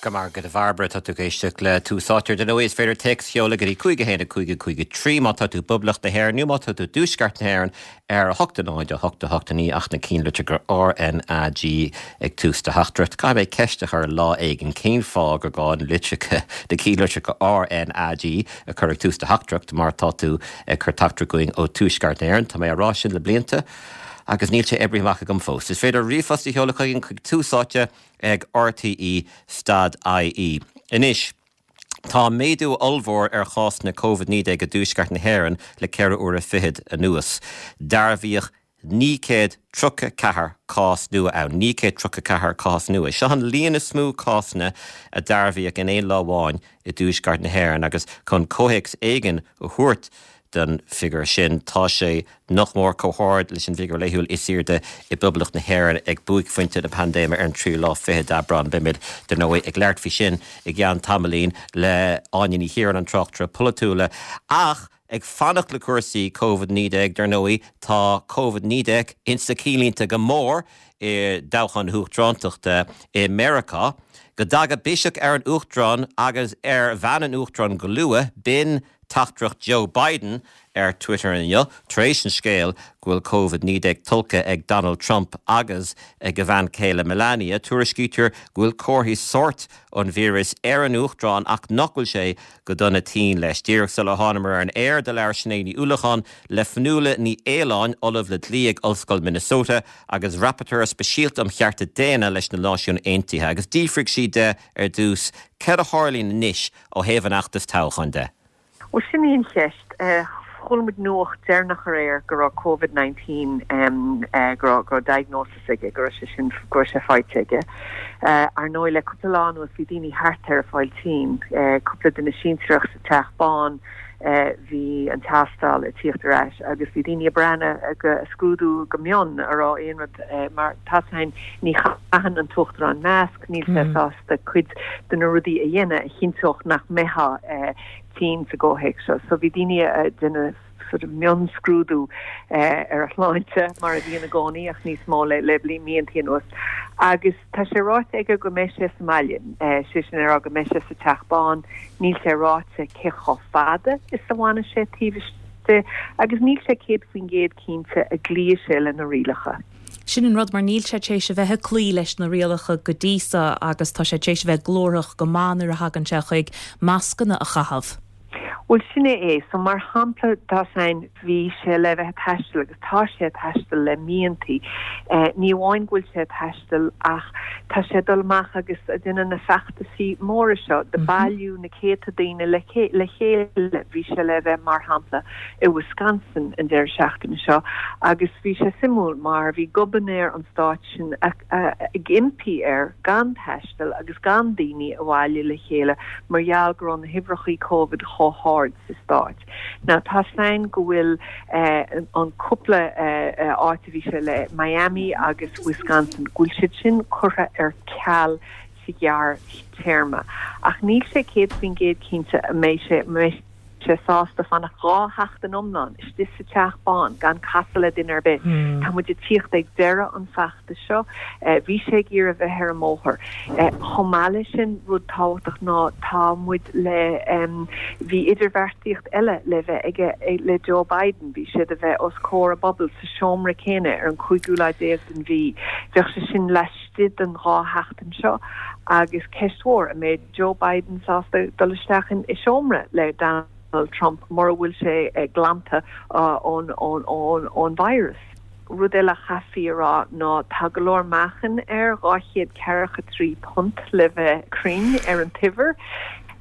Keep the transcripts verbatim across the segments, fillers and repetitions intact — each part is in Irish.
Go maith a Bhairbre tá tú ag éisteacht le Tús Áite dar ndóigh is féidir téacs a sheoladh go dtí cúig a haon a cúig a cúig a trí má tá tú i bPoblacht na hÉireann nó má tá tú i dTuaisceart na hÉireann ar a hocht a náid a hocht a hocht a naoi ach na cinnlitreacha RNAG ag tús do theachtaireacht. Caithfidh mé ceist a chur lá éigin cén fáth gur gá na litreacha na cinnlitreacha RNAG a chur ag tús do theachtaireacht mar tá tú ag cur teachtaireacht chugainn ó Tuaisceart na hÉireann Tá mé á rá sin le blianta. agus níl sé oibrithe amach agam fós. Is féidir ríomhphost a sheoladh chugainn chuig tús áite ag RTE stad IE. Anois, Tá méadú ollmhór ar chásanna Covid naoi déag i dTuaisceart na hÉireann le ceithre uaire fichead anuas. Dearbhaíodh naoi céad tríocha ceathair cás nua ann, naoi céad tríocha ceathair cás nua. Seo an líon is mó cásanna a dearbhaíodh in aon lá amháin i dTuaisceart na hÉireann agus chun comhthéacs éigin a thabhairt don bhfigiúr sin. Tá sé nach mór chomh hard leis an bhfigiúr laethúil is airde i bPoblacht na hÉireann ag buaicphointe na paindéime ar an tríú lá fiche d'Aibreán. Beimid dar ndóigh ag labhairt faoi sin i gceann tamaillín le Áine Ní Chiaráin an tráchtaire polaitiúla. Ach ag fanacht le cúrsaí Covid naoi déag dar ndóigh tá Covid naoi déag insa cinnlínte go mór i dtoghchán na huachtarántachta i Meiriceá. Go dtaga biseach ar an Uachtarán agus ar bhean an Uachtaráin go luath, b'in teachtaireacht Joe Biden ar Twitter inniu, tar éis an scéal go bhfuil Covid naoi déag tolgtha ag Donald Trump agus ag a bhean chéile Melania. Tuairiscítear go bhfuil comharthaí sóirt an víreas ar an Uachtarán ach nach bhfuil sé go dona tinn leis. Díreach sular thánamar ar an aer do labhair Sinéad Ní Uallacháin le Fionnuala Ní Aoláin, Ollamh le Dlí ag Ollscoil Minnesota agus Rapporteur Speisialta um Chearta Daonna leis na Náisiúin Aontaithe agus d'fhiafraigh sí de ar dtús céard a tharlaíonn anois ó thaobh an fheachtais toghcháin de. Bhuel sin í an cheist. Chuala muid nuacht deireanach aréir go raibh Covid nineteen go raibh go raibh diagnosis aige, go raibh sé sin go raibh sé faighte aige. Ar ndóigh le cúpla lá anuas bhí daoine thart air ag fáil tinn, cúpla duine sinsearach sa Teach Bán, bhí an tástáil ag tíocht ar ais agus bhí daoine ag breathnú ag scrúdú go mion an raibh aon rud mar tá a fhios againn ní chaitheann an tUachtarán masc, níl sé sásta cuid de na rudaí a dhéanamh a chinnteodh nach mbeifeá tinn sa gcomhthéacs seo. So bhí daoine ag déanamh sort of mionscrúdú ar a shláinte mar a bhíonn i gcónaí ach níos mó le le míontaí anuas. Agus tá sé ráite aige go mbeidh sé sa mbaile, sé sin a rá go mbeidh sé sa Teach Bán, níl sé ráite cé chomh fada is a bhfanfaidh sé taobh istigh agus níl sé céad faoin gcéad cinnte an gcloífidh sé le na rialacha. Sin an rud mar níl sé tar éis a bheith ag cloí leis na rialacha go dtí seo agus tá sé tar éis a bheith glórach go maith nuair a thagann sé chuig mascanna a chaitheamh. Bhuel sin é é. So mar shampla tá a fhios againn bhí sé le bheith ag taisteal agus tá sé ag taisteal le míontaí. Ní amháin go bhfuil sé ag taisteal ach tá sé ag dul amach agus ag déanamh na feachtasaí móra seo ag bailiú na céadta daoine le le chéile. Bhí sé le bheith mar shampla i Wisconsin an deireadh seachtaine seo agus bhí sé suimiúil mar bhí gobharnóir an stáit sin ag impí air gan taisteal agus gan daoine a bhailiú le chéile mar gheall go raibh na huimhreachaí Covid chomh hard sa stát. Now tá a fhios againn go bhfuil an cúpla áit a bhí sé le Miami agus Wisconsin go bhfuil siad sin curtha ar ceal sa ghearrthéarma ach níl sé céad faoin gcéad cinnte an mbeidh sé mbeidh sé sásta fanacht dhá sheachtain iomlán istigh sa Teach Bán gan casadh le duine ar bith. Tá muid ag tíocht ag deireadh an feachtais seo. Bhí sé ag iarraidh bheith ar an mbóthar. Chomh maith leis sin, rud tábhachtach ná tá muid le bhí idirbheartaíocht eile le bheith aige le Joe Biden. Bhí siad a bheith os comhair a bpobail sa seomra céanna ar an cúigiú lá déag den mhí. Bheadh sé sin laistigh den dhá sheachtain seo agus ceist mhór, an mbeidh Joe Biden sásta dul isteach in i seomra le Donald Trump mura bhfuil sé glanta ón ón ón virus? Rud eile a chaithfí a rá ná tá go leor meáchain air, dhá chéad ceathracha trí punt le bheith cruinn ar an t-uimhir.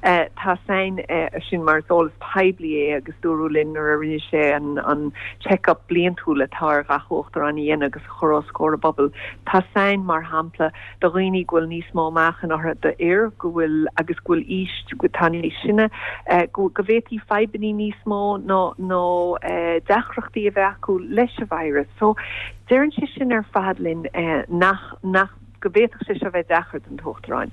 Tá a fhios againn sin mar is eolas poiblí é agus dúradh linn nuair a rinne sé an an check-up bliantúil atá ar gach uachtarán a dhéanamh agus a chur os comhair a bpobail. Tá a fhios againn, mar shampla, do dhaoine go bhfuil níos mó meáchain orthu, d'fhir go bhfuil agus go bhfuil aois, atá níos sine, go go bhféadfaí fadhbanna níos mó nó nó deacrachtaí a bheith acu leis an virus. So deireann sé sin ar fad linn nach nach go bhféadfadh sé seo bheith deacair don tUachtarán.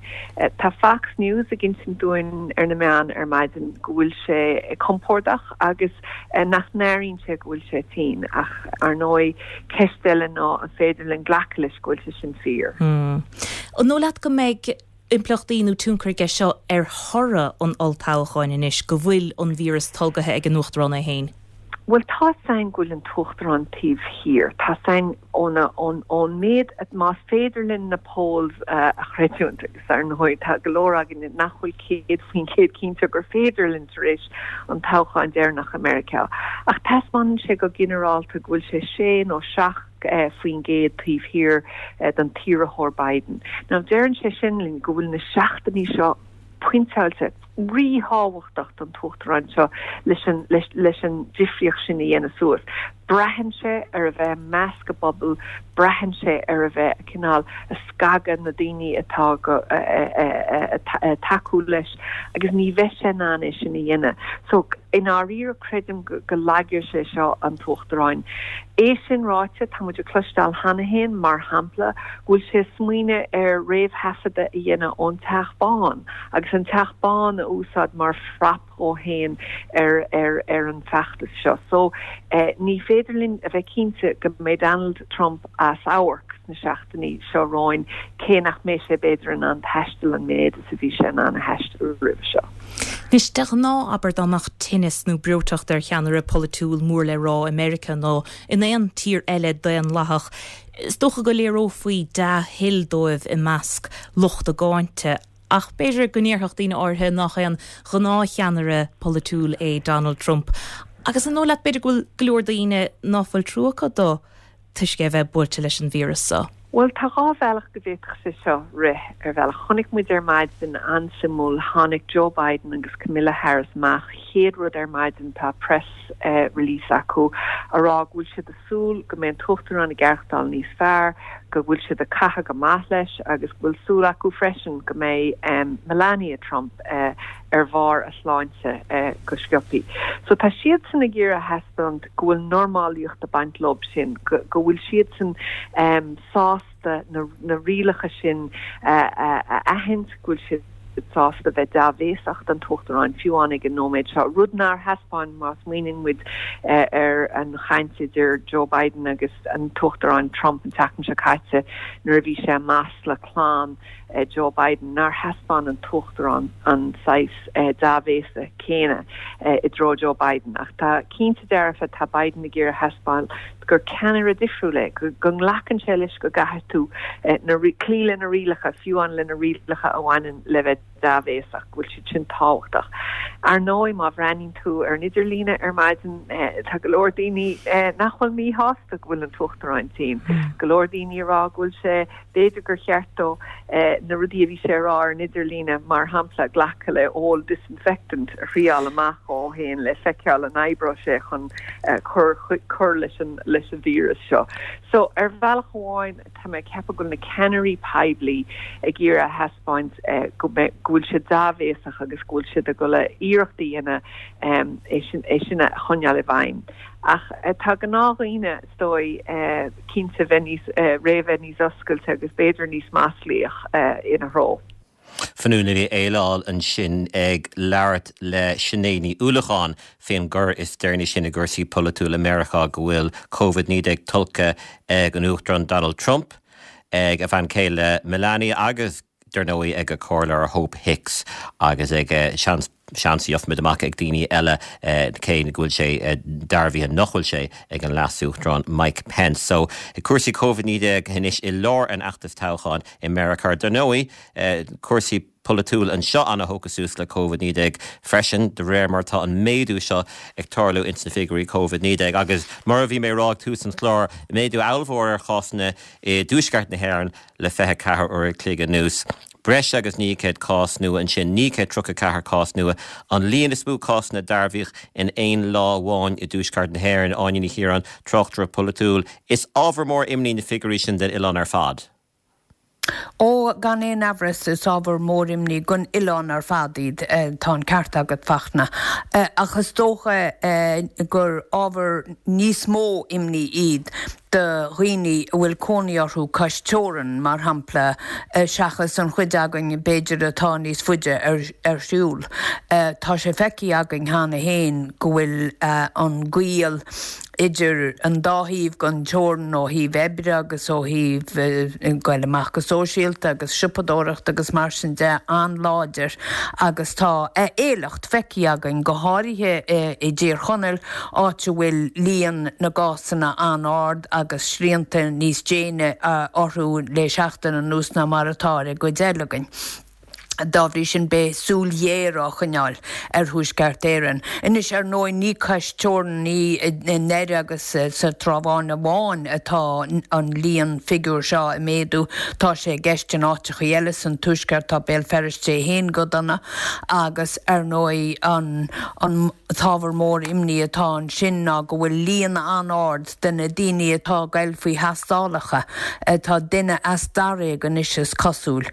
Tá Fox News ag insint dúinn ar na meáin ar maidin go bhfuil sé compordach agus nach n-airíonn sé go bhfuil sé tinn ach ar ndóigh ceist eile ná an féidir linn glacadh leis go bhfuil sé sin fíor. An dóigh leat go mbeidh impleachtaí nó tionchar aige seo ar thoradh an olltoghcháin anois go bhfuil an víreas tolgaithe ag an Uachtarán é féin? Bhuel tá a fhios againn go bhfuil an tUachtarán taobh thiar. Tá a fhios againn óna ón ón méid más féidir linn na polls a chreidiúint agus ar ndóigh tá go leor againn nach bhfuil céad faoin chéad cinnte gur féidir linn tar éis an toghcháin deireanach i Meiriceá. Ach taispeánann sé go ginearálta go bhfuil sé sé nó seacht faoin gcéad taobh thiar den t-iarrthóir Biden. Now deireann sé sin linn go bhfuil na seachtainí seo pointeáilte ríthábhachtach don tUachtarán seo leis an leis an difríocht sin a dhéanamh suas. Braitheann sé ar a bheith i measc a bpobal, braitheann sé ar a bheith cineál ag scagadh na daoine atá go ag tacú leis agus ní bheidh sé in ann é sin a dhéanamh. So i ndáiríre creidim go go lagóidh sé seo an tUachtarán. É sin ráite, tá muid ag cloisteáil cheana féin, mar shampla, go bhfuil sé ag smaoineamh ar réamhthaifeadadh a dhéanamh ón Teach Bán agus an Teach Bán a úsáid mar phrop dhó féin ar ar ar an bhfeachtas seo. So ní féidir linn a bheith cinnte go mbeidh Donald Trump as amharc sna seachtainí seo romhainn, cé nach mbeidh sé b'fhéidir in ann taisteal an méid is a bhí sé in ann a thaisteal roimhe seo. Anois, de ghnáth, abair, dá mbeadh tinneas nó breoiteacht ar cheannaire polaitiúil mór le rá i Meiriceá nó in aon tír eile daonlathach, is dócha go léireofaí dea-thoil dóibh i measc lucht a gcáinte. Ach b'fhéidir go ndéarfadh daoine áirithe nach aon ghnáthcheannaire polaitiúil é Donald Trump. Agus an dóigh leat b'fhéidir go bhfuil go leor daoine ná fuil trua acu dó toisc é a bheith buailte leis an víreas seo? Bhuel, tá dhá bhealach go bhféadfadh sé seo rith ar bhealach. Chonaic muid ar maidin an-suimiúil, tháinig Joe Biden agus Kamala Harris amach, chéad rud ar maidin tá press release acu a rá go bhfuil siad ag súil go mbeidh an tUachtarán ag aireachtáil níos fearr, go bhfuil siad ag caitheamh go maith leis agus go bhfuil súil acu freisin go mbeidh Melania Trump ar bharr a sláinte go sciobthaí. So tá siadsan ag iarraidh a thaispeáint go bhfuil normálaíocht ag baint leo sin, go bhfuil siadsan sásta na rialacha sin a aithint, go bhfuil siad sásta bheith dea-bhéasach don tUachtarán fiú amháin ag an nóiméad seo, rud nár thaispeáin má smaoiníonn muid ar an chaint idir Joe Biden agus an tUachtarán Trump an tseachtain seo caite nuair a bhí sé i masla clann Joe Biden, nár thaispeáin an tUachtarán an saghas dea-bhéasa céanna i dtreo Joe Biden. Ach tá cinnte dearfa, tá Biden ag iarraidh a thaispeáint gur ceannaire difriúil é, go nglacann sé leis go gcaithfidh tú cloí le na rialacha, fiú amháin le na rialacha a bhaineann le bheith dea-bhéasach, go bhfuil siad sin tábhachtach. Ar ndóigh, má bhreathnaíonn tú ar an idirlíne ar maidin, tá go leor daoine nach bhfuil míshásta go bhfuil an tUachtarán tinn. Go leor daoine ag rá go bhfuil sé, b'fhéidir gur cheart dó na rudaí a bhí sé a rá ar an idirlíne, mar shampla, glacadh le ól disinfectant a thriáil amach dhó féin le feiceáil an oibreoidh sé chun cur cur leis an leis an víreas seo. So, ar bhealach amháin, tá mé ag ceapadh go bhfuil na ceannairí poiblí ag iarraidh a thaispeáint go mbeidh, go bhfuil siad dea-bhéasach agus go bhfuil siad ag dul iarracht a dhéanamh é sin é sin a choinneáil i bhfeidhm. Ach tá gnáthdhaoine, is dóigh, cinnte bheith níos, réidh bheith níos oscailte agus b'fhéidir níos maslaíoch ina threo. Fionnuala Ní Fhaoláil ansin ag labhairt le Sinéad Ní Uallacháin faoin gcor is deireanaí sin i gcúrsaí polaitiúla Meiriceá go bhfuil Covid naoi déag tolgtha ag an Uachtarán Donald Trump, ag a bhean chéile Melania agus dar ndóigh ag a comhairleoir Hope Hicks agus ag seans seans gheobhaimid amach ag daoine eile cé go bhfuil sé dearbhaithe nach bhfuil sé ag an Leas-Uachtarán Mike Pence. So cúrsaí Covid naoi déag anois i lár an fheachtais toghcháin i Meiriceá. Dar ndóigh cúrsaí polaitiúil anseo ana-thógtha suas le Covid naoi déag freisin de réir mar tá an méadú seo ag tarlú ins na figiúirí Covid naoi déag agus mar a bhí mé ag rá ag tús an chláir, méadú ollmhór ar chásanna i dtuaisceart na hÉireann le fiche ceathair uair a chloig anuas. Breis agus naoi gcéad cás nua ansin, naoi gcéad tríocha ceathair cás nua, an líon is mó cásanna dearbhaithe in aon lá amháin i dtuaisceart na hÉireann. Áine Ní Chiaráin, tráchtaire polaitiúil, Is ábhar mór imní na figiúirí sin den oileán ar fad. Ó, gan aon amhras, is ábhar mór imní don oileán ar fad iad, tá an ceart agat, Fachtna. Ach is dócha gur ábhar níos mó imní iad do dhaoine a bhfuil cónaí orthu cois teorann, mar shampla, seachas an chuid againn b'fhéidir atá níos faide ar shiúl. Tá sé feicthe againn cheana féin go bhfuil an gaol idir an dá thaobh den teorainn ó thaobh oibre agus ó thaobh goil amach go sóisialta agus siopadóireacht agus mar sin de an-láidir agus tá éileacht feicthe againn, go háirithe i dTír Chonaill, áit a bhfuil líon na gcásanna an-ard agus srianta níos déine orthu le seachtain anuas ná mar atá ar an gcuid eile againn. Dá bhrí sin, beidh súil ghéar á choinneáil ar Thuaisceart Éireann. Anois, ar ndóigh, ní cois teorann, ní i nDoire agus sa Trá Bháin amháin atá an líon figiúr seo ag méadú. Tá sé i gceist in áiteachaí eile san Tuaisceart, tá Béal Feirste é féin go dona agus, ar ndóigh, an an t-ábhar mór imní atá ansin ná go bhfuil líon an-ard de na daoine atá ag goil faoi thástálacha, tá duine as daréag anois is cosúil,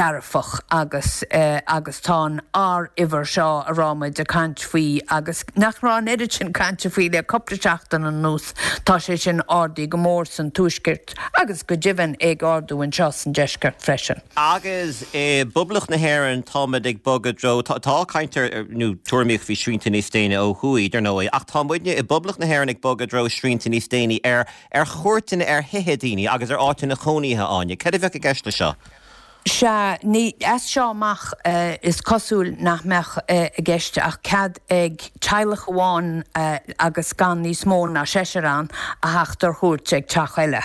dearfach agus agus tá an R-uimhir seo a raibh muid ag caint faoi agus nach raibh an oiread sin cainte faoi le cúpla seachtain anuas, tá sé sin ardaithe go mór san Tuaisceart agus go deimhin é ag ardú anseo san Deisceart freisin. Agus i bPoblacht na hÉireann táimid ag bogadh i dtreo, tá caint ar, nó tuairimíocht faoi shrianta níos déine ó thuaidh, dar ndóigh, ach tá muidne i bPoblacht na hÉireann ag bogadh i dtreo srianta níos déine ar ar chuairteanna ar thithe daoine agus ar áiteanna cónaithe, Áine. Céard a bheadh i gceist leis seo? Sea, ní, as seo amach is cosúil nach mbeadh i gceist ach cead ag teaghlach amháin agus gan níos mó ná seisear ann a theacht ar chuairt ag teach eile.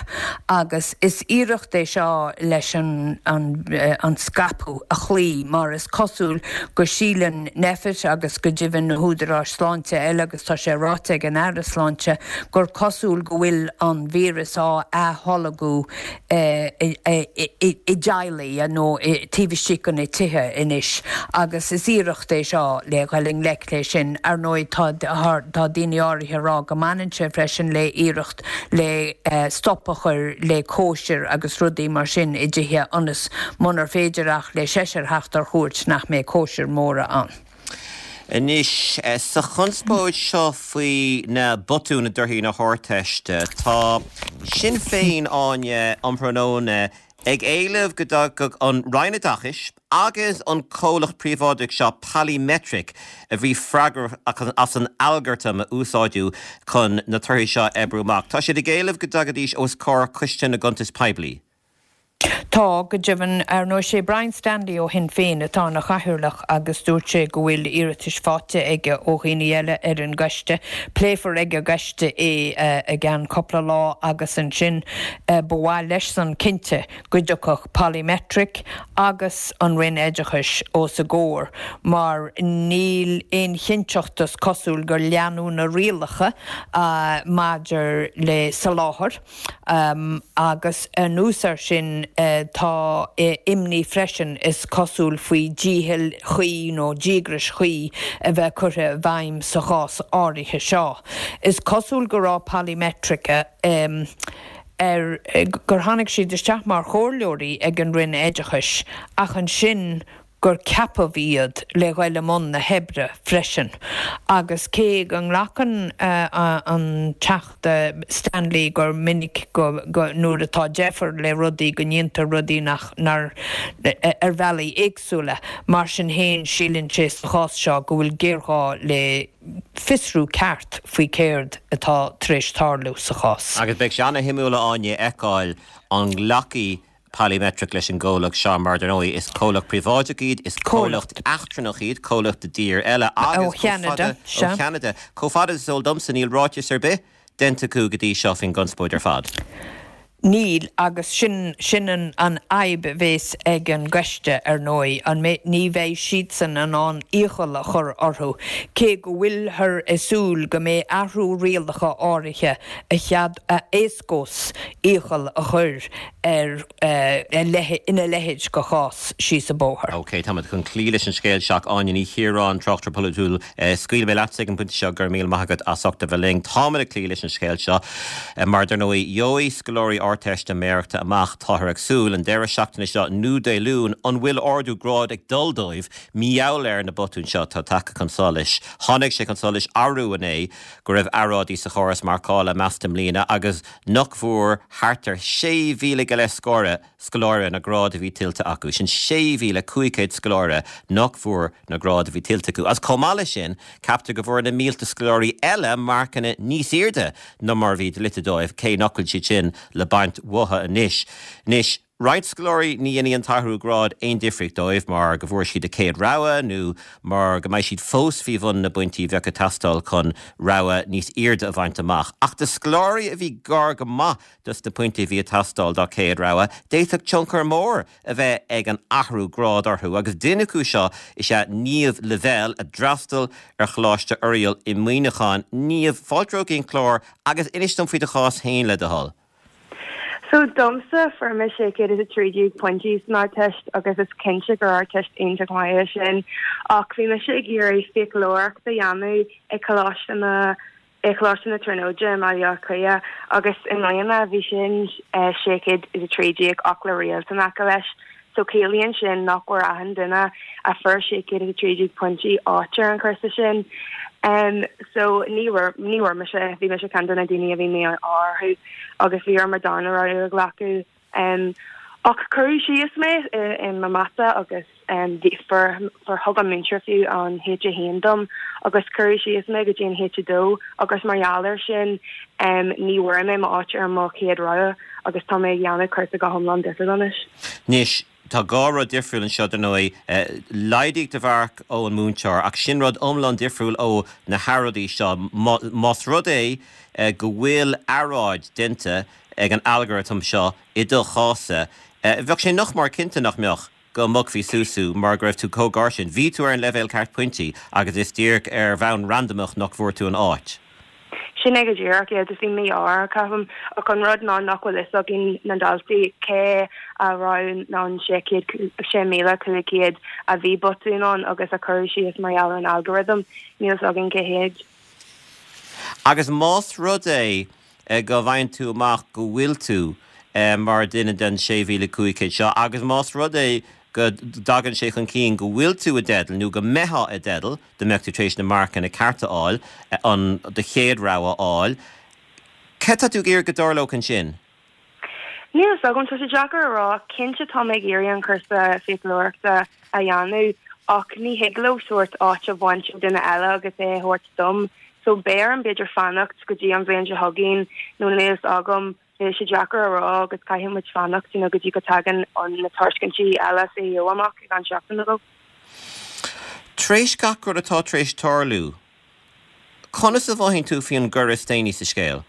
Agus is iarracht é seo leis an an scaipeadh a chloí mar is cosúil go síleann Nphet agus go deimhin na húdaráis sláinte eile agus tá sé ráite ag an Aire Sláinte gur cosúil go bhfuil an víreas á atholgadh i dteaghlaigh nó taobh istigh de na tithe anois agus is iarracht é seo le dhul i ngleic le sin. Ar ndóigh tá tá daoine áirithe ag rá go mbaineann sé freisin le iarracht le stop a chur le cóisir agus rudaí mar sin i dtithe ionas munar féidir ach le seisear theacht ar chuairt nach mbeidh cóisir mhóra ann. Anois, sa chonspóid seo faoi na botúin i dtorthaí na hArdteiste, tá Sinn Féin, Áine, um thráthnóna ag éileamh go dtagadh an Roinn Oideachais agus an comhlacht príobháideach seo Polymetric, a bhí freagrach as an algartam a úsáideadh chun na torthaí seo a oibriú amach, tá siad ag éileamh go dtagaidís os comhair Coiste na gCuntas Poiblí. Tá, go deimhin. Ar ndóigh, sé Brian Stanley ó Shinn Féin atá ina chathaoirleach agus dúirt sé go bhfuil iarratais faighte aige ó dhaoine eile ar an gcoiste. Pléifear ag an gcoiste é i gceann cúpla lá agus ansin ba mhaith leis-san cinnte go dtiocfadh Polymetric agus an Roinn Oideachais os a gcomhair mar níl aon chinnteacht is cosúil gur leanadh na rialacha maidir le soláthar. Agus anuas air sin tá imní freisin, is cosúil, faoi dícheall chuí nó díograis chuí a bheith curtha i bhfeidhm sa chás áirithe seo. Is cosúil go raibh Polymetric ar gur tháinig siad isteach mar chomhairleoirí ag an Roinn Oideachais ach ansin gur ceapadh iad le ghoil i mbun na hoibre freisin. Agus cé go nglacann an Teachta Stanley gur minic go nuair atá deifir le rudaí go ndéantar rudaí nach nár ar bhealaí éagsúla, mar sin féin síleann sé sa chás seo go bhfuil géarghá le fiosrú ceart faoi céard atá tar éis tarlú sa chás. Agus beidh sé ana-shuimiúil, a Áine, a fheiceáil an nglacfaidh Polymetric leis an gcomhlacht seo mar, dar ndóigh, is comhlacht príobháideach iad, is comhlacht eachtrannach iad, comhlacht i dtír eile agus Ó Cheanada, sea. Ó Cheanada. Chomh fada is is eol domsa, níl ráiteas ar bith déanta acu go dtí seo faoin gconspóid ar fad. Níl, agus sin, sin an, an fhadhb a bhéas ag an gcoiste, ar ndóigh, an mbeidh, ní bheidh siadsan in ann iachall a chur orthu, cé go bhfuilthear ag súil go mbeidh athrú rialacha áirithe a chead, a éascós iachall a chur ar ina leithéid de chás síos an bóthar. OK, táimid chun cloí leis an scéal seo. Áine Ní Chiaráin, tráchtaire polaitiúil, scaoilfidh mé leatsa ag an bpointe seo, go raibh míle maith agat as ucht a bheith linn. Táimid ag cloí leis an scéal seo mar, dar ndóigh, gheobhaidh scoláirí Ardteistiméireachta amach, táthar ag súil, an deireadh seachtaine seo nó Dé Luain, an bhfuil ardú gráid ag dul dóibh mar gheall ar na botúin seo atá tagtha chun solais. Tháinig sé chun solais arú inné go raibh earráidí sa chóras marcála measta i mbliana agus nach bhfuair thart ar sé mhíle go leith scóire scoláire na gráid a bhí tuillte acu. Sin sé mhíle cúig chéad scoláire nach bhfuair na gráid a bhí tuillte acu. Agus chomh maith leis sin, ceaptar go bhfuair na mílte scoláirí eile marcanna níos airde ná mar a bhí dlite dóibh, cé nach bhfuil siad sin le baint uathu anois. Anois, roinnt scoláirí ní dhéanfaidh an t-athrú gráid aon difríocht dóibh mar go bhfuair siad a céad rogha nó mar go mbeidh siad fós faoi bhun na bpointí a bheadh ag teastáil chun rogha níos airde a bhaint amach. Ach do scoláirí a bhí gar go maith dos na pointí a bhí ag teastáil dá céad rogha, d'fhéadfadh tionchar mór a bheith ag an athrú gráid orthu agus duine acu seo is ea Niamh Lavelle a d'fhreastail ar Choláiste Oiriall i Muineachán. Niamh, fáilte romhat go dtí an clár agus inis dom faoi do chás féin le do thoil. So domsa fuair mé sé chéad is a trí déag pointí san Ardteist agus is cinnte gur Ardteist iontach maith é sin ach bhí mise ag iarraidh fiaclóireacht a dhéanamh i Coláiste na i Choláiste na Tríonóide i mBaile Átha Cliath agus i mbliana bhí sin sé chéad is a trí déag ach le réalt in aice leis. So ciallaíonn sin nach bhfuair achan duine a fuair sé chéad is a trí déag pointí áit ar an chúrsa sin. Um, so ní ní bhfuair mise bhí mise ceann de na daoine a bhí mí-ádh orthu agus bhí orm mo darna rogha a ghlacadh. Um, ach cuireadh síos mé i mo mata agus um, bhí fuair fuair thug an múinteoir fiú an H a haon dom agus cuireadh síos mé go dtí an H a dó agus mar gheall air sin um, ní bhfuair mé m'áit ar mo chéad rogha agus tá mé ag déanamh cúrsa go hiomlán difriúil anois. Anois tá dhá rud difriúil anseo dar ndóigh, laghdaíodh do mharc ón múinteoir ach sin rud iomlán difriúil ó na hearráidí seo. Más rud é go bhfuil earráid déanta ag an algorithm seo i do chás-sa, bheadh sé nach mór cinnte nach mbeadh go mbogfaí suas thú mar go raibh tú chomh gar sin. Bhí tú ar an leibhéal ceart pointí agus is díreach ar bhonn randamach nach bhfuair tú an áit. Sin é go díreach yeah, just bhí mí-ádh ceapaim ach an rud ná nach bhfuil fhios againn na daltaí cé a raibh an sé chéad sé míle cúig chéad a bhí botún ann agus a cuireadh síos mar gheall ar an algorithm níl fhios againn cé hiad. Agus más rud é go bhfaigheann tú amach go bhfuil tú mar duine den sé mhíle cúig chéad seo agus más rud é go dtagann sé chun cinn go bhfuil tú i dteideal nó go mbeifeá i dteideal dá mbeadh tú tar éis na marcanna cearta a fháil, an do chéad rogha a fháil. Céard tá tú ag iarraidh go dtarlódh ansin? Níl fhios agam, tá sé deacair a rá, cinnte tá mé ag iarraidh an cúrsa fiaclóireachta a dhéanamh ach ní thig leo sórt áit a bhaint ó duine eile agus é a thabhairt dom. So beidh orm b'fhéidir fanacht go dtí an bhliain seo chugainn nó níl fhios agam Bhí sé deacair a rá agus caithfidh muid fanacht you know, go dtí go dtagann an na tairiscintí eile CAO amach i gceann seachtain nó dhó. Tar éis gach rud atá tar éis tarlú, conas a mhothaíonn tú faoin gcor is déanaí sa scéal?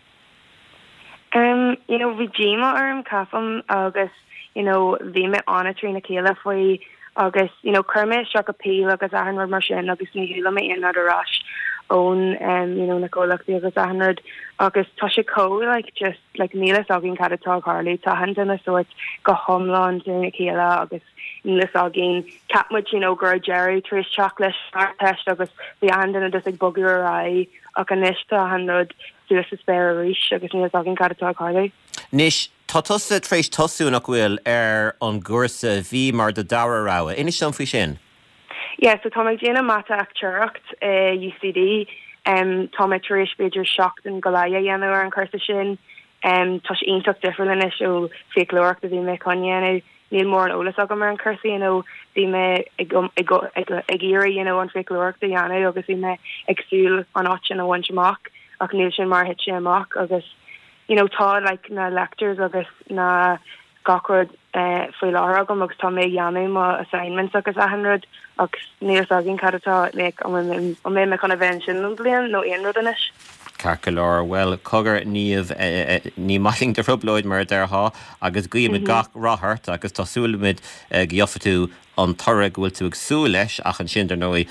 Um, you know, bhí díomá orm ceapaim agus you know, bhí mé an-trína chéile faoi agus you know, chuir mé isteach appeal agus achan rud mar sin agus ní chuala mé aon rud ar ais ón um, you know, na comhlachtaí agus achan rud agus tá sé chomh like just like níl fhios againn cad atá ag tarlú tá achan duine sórt go hiomlán trína chéile agus níl fhios againn cheap muid you know, go raibh deireadh tar éis teacht leis an Ardteist agus bhí achan duine just ag bogadh ar aghaidh ach anois tá achan rud suas sa spéir arís agus níl fhios againn cad atá ag tarlú. Anois tá tusa tar éis tosú nach bhfuil ar an gcúrsa a bhí mar do dara rogha. Inis dom faoi sin. Yeah, so tá mé ag déanamh mata achtúireacht i U C D. Um, tá mé tar éis b'fhéidir seachtain go leith a dhéanamh ar an chúrsa sin. Um, tá sé iontach difriúil anois ó fiaclóireacht a bhí mé chun dhéanamh. Níl mórán eolas agam ar an chúrsa, you know, bhí mé ag, ag, ag, ag iarraidh, you know, an fiaclóireacht a dhéanamh agus bhí mé ag súil an áit sin a bhaint amach ach níl sin mar thit sé amach agus you know, tá like na lectures agus na gach rud eh, faoi láthair agam agus tá mé ag déanamh mo assignments agus achan rud agus níl fhios againn cad atá like, an mbeidh mé chun a bheith ansin an bhliain nó aon rud anois. Ceart go leor, bhuel, cogar Niamh, ní maith linn do thrioblóid mar a déarfá agus guímid gach rath ort agus tá súil againn go gheofaidh tú an toradh go bhfuil tú ag súil leis ach ansin dar ndóigh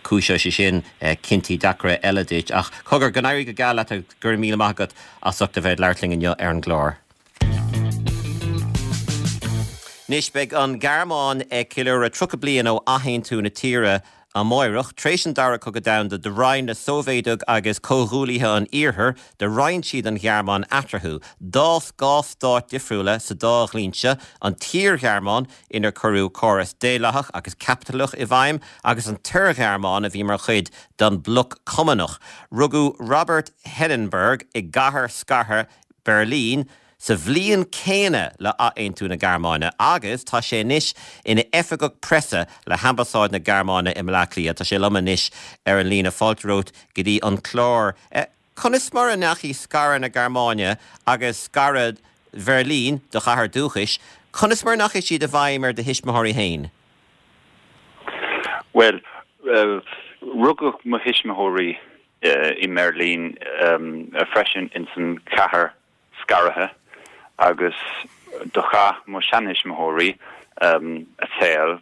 cúiseoidh sé sin cinntí deacra eile duit. Ach cogar, go n-éirí go geal leat agus go raibh míle maith agat as ucht a bheith ag labhairt linn inniu ar an gclár. Anois beidh an Ghearmáin ag ceiliúradh tríocha bliain ó athaontú na tíre Amáireach, tar éis an Dara Cogadh Domhanda, do roinn na Sóivéadaigh agus comhghuaillithe an Iarthair, do roinn siad an Ghearmáin eatarthu. D'fhás dhá stát difriúla sa dá dhlínse, an tSaor-Ghearmáin, inar cuireadh córas daonlathach agus caipitleach i bhfeidhm, agus an tOir-Ghearmáin a bhí mar chuid den bhloc Cumannach. Rugadh Robert Hindenburg i gcathair scartha Beirlín, sa bhliain céanna le athaontú na Gearmáine agus tá sé anois ina oifigeach preasa le hAmbasáid na Gearmáine i mBleá Cliath. Tá sé liom anois ar an líne fáilte romhat go dtí an clár. Conas mar a ndeachaigh scaradh na Gearmáine agus scaradh Bheirlín, do chathair dúchais, conas mar a ndeachaigh siad i bhfeidhm ar do thuismitheoirí féin? Bhuel, rugadh mo thuismitheoirí i mBeirlín freisin ins an chathair scartha agus do chaith mo sheantuismitheoirí a saol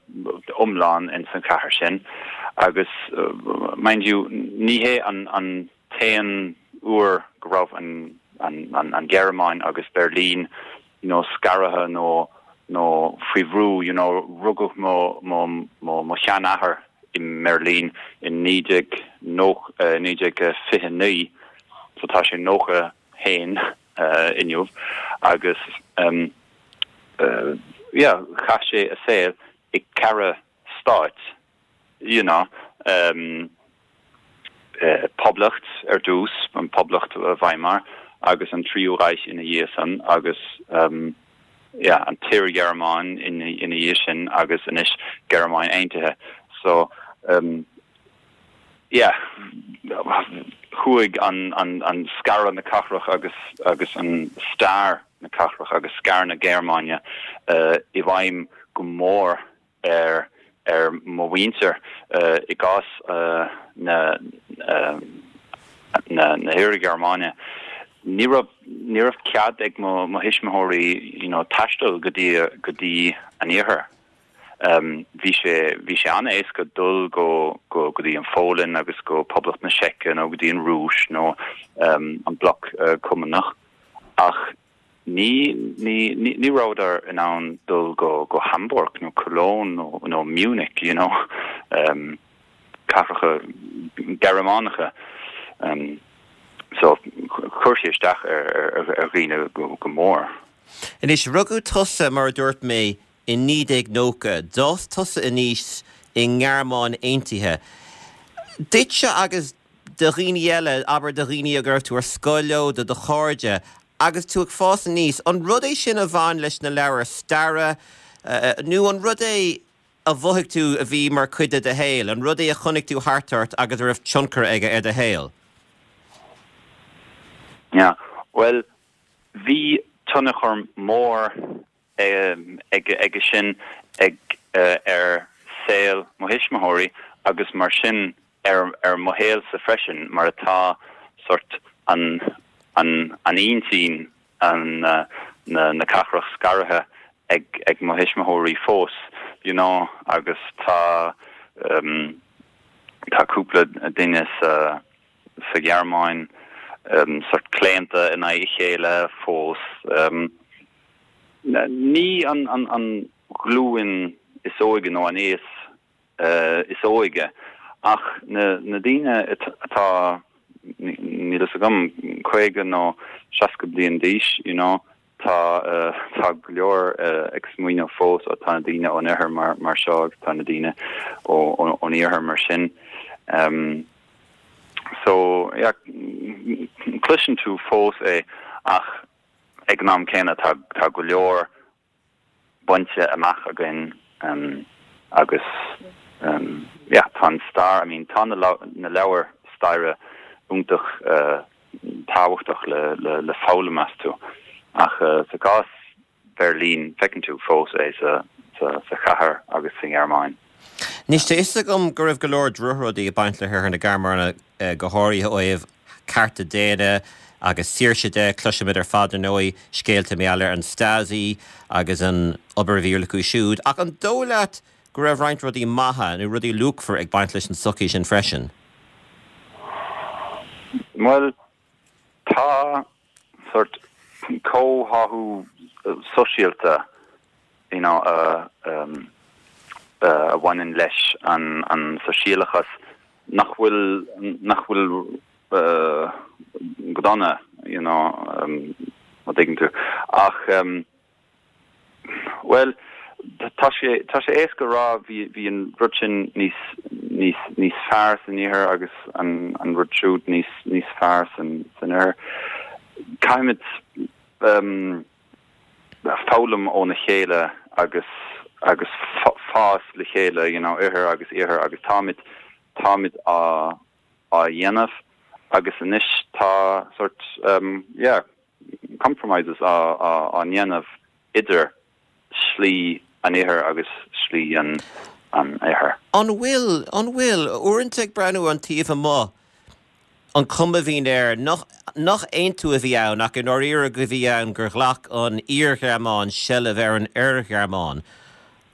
iomlán ins an chathair sin agus mind you ní hé an an t-aon uair go raibh an an an an Ghearmáin agus Berlin you know scartha nó nó faoi bhrú you know rugadh mo mo mo mo sheanathair i mBerlin in naoi déag naoi déag fiche naoi so tá sé nócha haon inniu agus um, uh, yeah, chaith sé a saol i ceithre stáit you know um, uh, Poblacht ar dtús an Poblacht Weimar agus an Tríú Reich ina dhiaidh san agus um, yeah, an tSaor-Ghearmáin ina ina dhiaidh sin agus anois Gearmáin Aontaithe so um, yeah, chuaigh an an an scaradh na cathrach agus agus an stair na cathrach agus scaradh na Gearmáine uh, i bhfeidhm go mór ar ar mo mhuintir uh, i gcás uh, na uh, na na hIar-Ghearmáine. Ní raibh ní raibh cead ag mo mo thuismitheoirí you know, taisteal go dtí go dtí an iarthar. Um, bhí sé bhí sé an-éasca dul go go go dtí an Pholainn agus go Poblacht na Seice nó go dtí an Rúis nó um, an bloc uh, cumannach ach ní ní ní, ní rabhadar in ann dul go go Hamburg nó Cologne nó nó Munich you know um, cathracha Gearmánacha um, so chuir sé isteach ar ar ar dhaoine go, go mór. Anois rugadh tusa mar a dúirt mé in naoi déag nócha, d'fhás tusa aníos i nGearmáin Aontaithe. Duitse agus do dhaoine eile abair do dhaoine a raibh tú ar scoil leo do do chairde, agus tú ag fás aníos, an rud é sin a bhain leis na leabhair staire uh, nó an rud é a mhothaigh tú a bhí mar chuid de do shaol, an rud é a chonaic tú thart ort agus a raibh tionchar aige ar do shaol. Ja, well bhí tionchar mór um, ag ag sin ag uh, ar saol mo thuismitheoirí agus mar sin ar ar mo shaolsa freisin mar atá sort an an an intinn an uh, na na cathrach scartha ag ag mo thuismitheoirí fós you know agus tá um, tá cúpla duine sa sa Ghearmáin um, sort claonta in aghaidh a chéile fós um, ní an an an ghlúin is óige nó an aos uh, is óige ach na na daoine atá níl a fhios agam caoga nó seasca bliain d'aois you know tá uh, tá go leor uh, ag smaoineamh fós atá na daoine ón oirthear mar mar seo tá na daoine ón iarthar mar sin um, so yeah, cloiseann tú fós é ach ag an am céanna tá tá go leor bainte amach againn um, agus um, yeah, tá an stair I mean tá na, na leabhair staire iontach uh, tábhachtach le le, le foghlaim astu ach uh, sa gcás Berlin feiceann tú fós é sa sa, sa chathair agus sa Ghearmáin. Anois tá a fhios agam go raibh go leor drochrudaí ag baint le hIarthar na Gearmáine uh, go háirithe ó thaobh cearta daonna agus saoirse de cloisimid ar fad ar ndóigh scéalta mar gheall ar an Stasi agus an obair a bhí acu siúd, ach an dóigh leat go raibh roinnt rudaí maithe nó rudaí luachmhar ag baint leis an sochaí sin freisin. Well tá sort comhtháthú sóisialta you know uh, um, a bhaineann leis an an sóisialachas nach bhfuil nach bhfuil go dona you know má thuigeann tú ach bhuel tá sé tá sé éasca rá bhí bhí an rud sin níos níos níos fearr san iarthar agus an an rud siúd níos níos fearr san san oirthear. Caithfimid um, foghlaim óna chéile agus agus fás le chéile you know oirthear agus iarthar agus táimid táimid á á dhéanamh agus anois tá sort um, yeah, compromises á á á ndéanamh idir slí an iarthair agus slí an an oirthir. An bhfuil an bhfuil uaireanta ag breathnú an taobh amuigh an chuma a bhíonn air nach nach aontú a bhí ann ach i ndáiríre go bhí ann gur ghlac an Iar-Ghearmáin seilbh ar an Oir-Ghearmáin.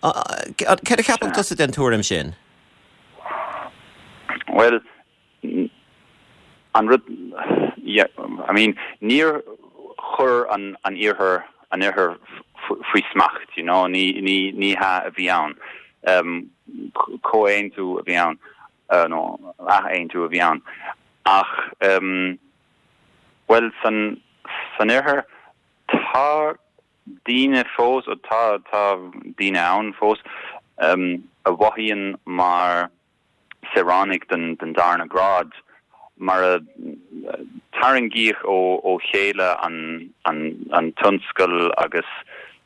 Cad a cheapann tusa den tuairim sin? Well an rud yeah, I mean níor chuir an an iarthar an oirthear faoi smacht you know ní ní ní hea a bhí ann um, comhaontú a bhí ann uh, nó athaontú a bhí ann ach um, well san san oirthear tá daoine fós ó tá tá daoine ann fós um, a mhothaíonn mar saoránaigh den den darna grád mar a tarraingíodh ó ó chéile an an an tionscal agus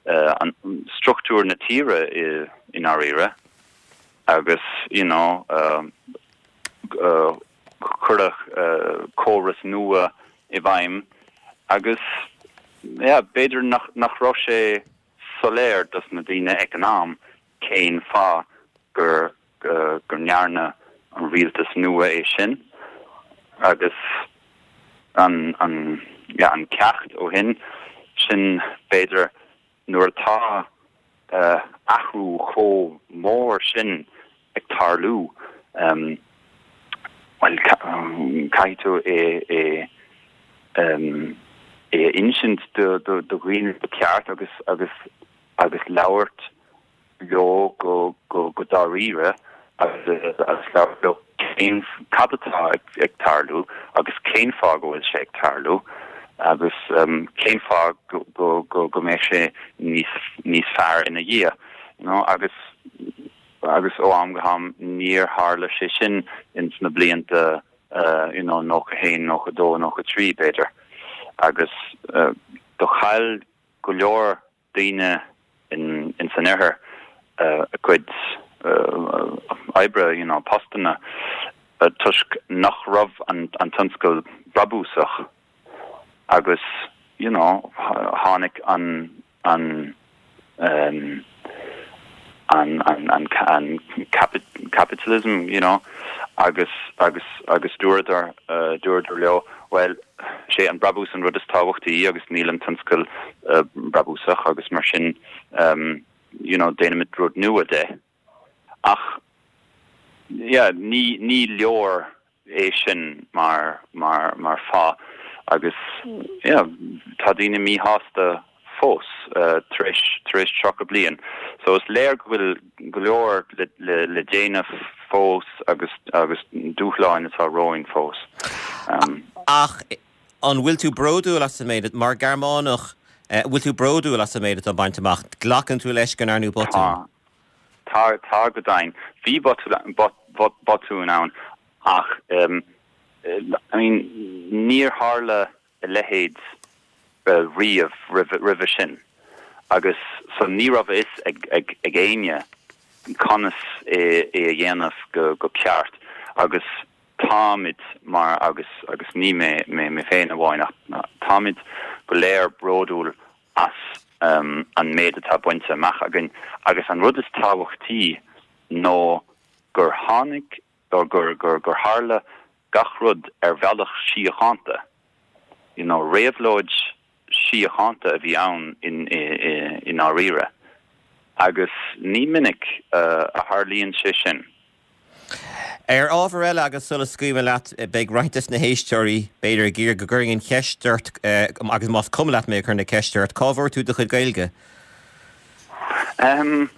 uh, an struchtúr na tíre i i ndáiríre agus you know uh, uh, cuireadh uh, córas nua i bhfeidhm agus yeah, b'fhéidir nach nach raibh sé soiléir dos na daoine ag an am cén fáth gur gur gur ndearna an rialtas nua é sin agus an an ja an ceacht ó shin sin b'fhéidir nuair atá uh, athrú chomh mór sin ag tarlú um, well caithfidh tú é é um, é insint do do do dhaoine go ceart agus agus agus labhairt leo go go go dáiríre agus agus labhairt leo cén cad atá ag, ag tarlú agus cén fáth go bhfuil sé ag tarlú agus um, cén fáth go go go go mbeidh sé níos níos fearr ina dhiaidh you know agus agus ó am go ham níor tharla sé sin ins na blianta uh, you know nócha haon nócha dó nócha trí b'fhéidir agus uh, do chaill go leor daoine in in san oirthear uh, a gcuid uh, oibre you know postanna uh, toisc nach raibh an an tionscal brabúsach agus you know tháinig an an um, an an an an capi capitalism you know agus agus agus dúradar uh, dúradar leo well sé an brabús an rud is tábhachtaí agus níl an tionscal uh, brabúsach agus mar sin um, you know déanaimid rud nua de ach yeah ní ní leor é sin mar mar mar fáth agus yeah tá daoine míshásta fós uh, tar éis tar éis tríocha bliain. So is léir go bhfuil go leor le, le, le déanamh fós agus agus dúshláin atá romhainn fós. Um, Ach an bhfuil tú bródúil as an méid mar Ghearmánach uh, bhfuil tú bródúil as an méid atá bainte amach glacann tú leis go ndearnadh botún. Tá tá go deimhin bhí botún ann ach um, I mean níor tharla a leithéid uh, riamh roimhe sin agus so ní raibh a fhios ag ag ag éinne conas é é a dhéanamh go go ceart agus táimid mar agus agus ní mé mé mé féin amháin ach táimid go léir bródúil as um, an méid atá bainte amach againn agus an rud is tábhachtaí nó gur tháinig gur gur gur gur tharla gach rud ar bhealach síochánta you know réabhlóid síochánta a bhí ann in i ndáiríre agus ní minic uh, a tharlaíonn sé sin. Ar ábhar eile agus sula scaoilim leat beidh roinnt de na héisteoirí b'fhéidir ag iarraidh go gcuirfinn an cheist ort uh, agus más cuma leat mé chur na ceiste ort cá bhfuair tú do chuid Gaeilge. Um,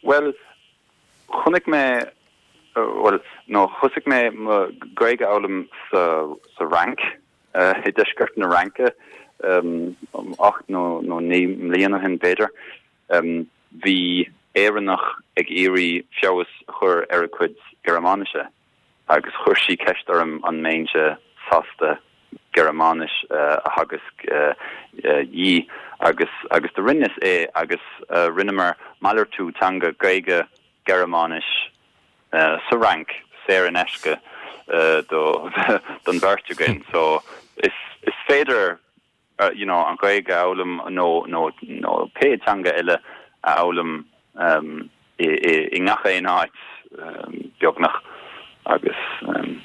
well Chonaic mé, bhuel, nó thosaigh mé mo Ghaeilge a fhoghlaim sa sa Fhrainc, i deisceart na Fhraince, ocht nó nó naoi mbliana ó shin b'fhéidir. Bhí Éireannach ag iarraidh feabhas a chur ar a cuid Gearmáinise agus chuir sí ceist orm an mbeinnse sásta Gearmáinis a theagasc di agus agus do rinneas é agus rinneamar malartú teanga Gaeilge Gearmáinis sa Fhrainc saor in aisce do don bheirt againn so is is féidir you know an Ghaeilge a fhoghlaim nó nó nó pé teanga eile a fhoghlaim um, i, i, i ngach aon áit um, beagnach agus um,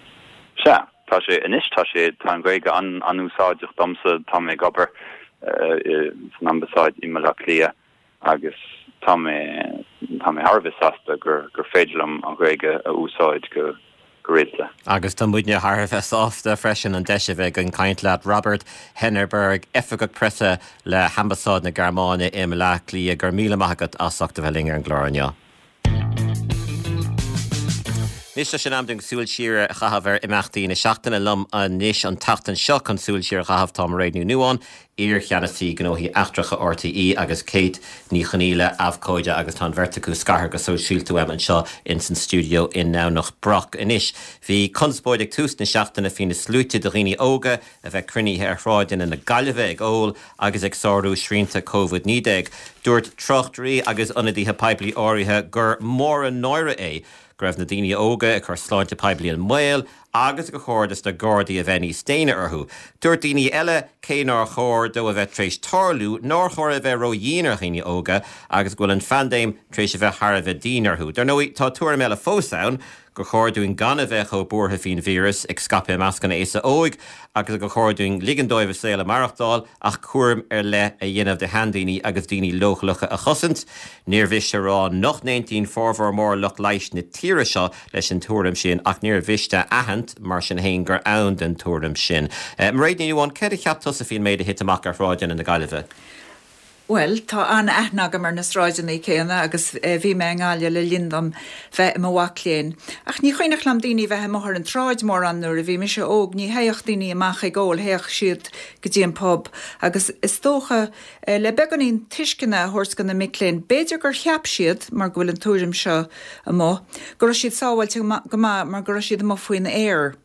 sea tá sé anois tá sé tá an Ghaeilge an an-úsáideach domsa tá mé ag obair uh, san ambasáid i mBaile Átha Cliath agus tá mé tá mé thar a bheith sásta gur gur féidir liom an Ghaeilge a úsáid go go rialta. Agus tá muidne thar a bheith sásta freisin an deis a bheith againn caint leat Robert Hennerberg, Oifigeach Preasa le hAmbasáid na Gearmáine i mBaile Átha Cliath go raibh míle maith agat as ucht a bheith linn ar an gclár inniu. Anois tá sé in am dúinn súil siar a chaitheamh ar imeachtaí na seachtaine liom anois an tseachtain seo chun súil siar a chaitheamh tá Mairéad Ní Nuadháin, iar-cheannasaí gnóthaí eachtracha RTÉ agus Kate Ní Chonghaile abhcóide agus tá an bheirt acu scartha go sóisialta uaim anseo in san stiúideo i nDomhnach Broc. Anois bhí conspóid ag tús na seachtaine faoi na sluaite de dhaoine óga a bheith cruinnithe ar shráideanna na Gaillimhe ag ól agus ag sárú srianta Covid naoi déag. Dúirt tráchtairí agus ionadaithe poiblí áirithe gur mór an náire é go raibh na daoine óga ag cur sláinte poiblí i mbaol agus gur chóir dos na Gardaí a bheith níos déine orthu. Dúirt daoine eile cé nár chóir dó a bheith tar éis tarlú, nár chóir a bheith ródhian ar dhaoine óga agus go bhfuil an phaindéim tar éis a bheith thar a bheith dian orthu. Dar ndóigh, tá tuairim eile fós ann gur chóir dúinn gan a bheith chomh buartha faoin víreas ag scaipeadh i measc an aosa óig agus gur chóir dúinn ligean dóibh a saol a mhaireachtáil ach cúram ar leith a dhéanamh de sheandaoine agus daoine leochaileacha a chosaint. Níor mhiste a rá nach n-aontaíonn formhór mór lucht leighis na tíre seo leis an tuairim sin ach níor mhiste a aithint mar sin féin gur ann don tuairim sin. Mairéad Ní Nuadháin, céard a cheap tusa faoin méid a thit amach ar shráideanna na Gaillimhe? Bhuel, tá an-aithne agam ar na sráideanna céanna agus bhí mé i nGaillimh le linn dom bheith i mo mhac léinn. Ach ní cuimhneach liom daoine bheith amuigh ar an tsráid mórán nuair a bhí mise óg, ní théadh daoine amach ag ól, théadh siad go dtí an pub. Agus is dócha, le beagáinín tuisceana a thabhairt do na mic léinn, b'fhéidir gur cheap siad, mar go bhfuil an tuairim seo amuigh, go raibh siad sábháilte go maith mar go raibh siad amuigh faoin aer.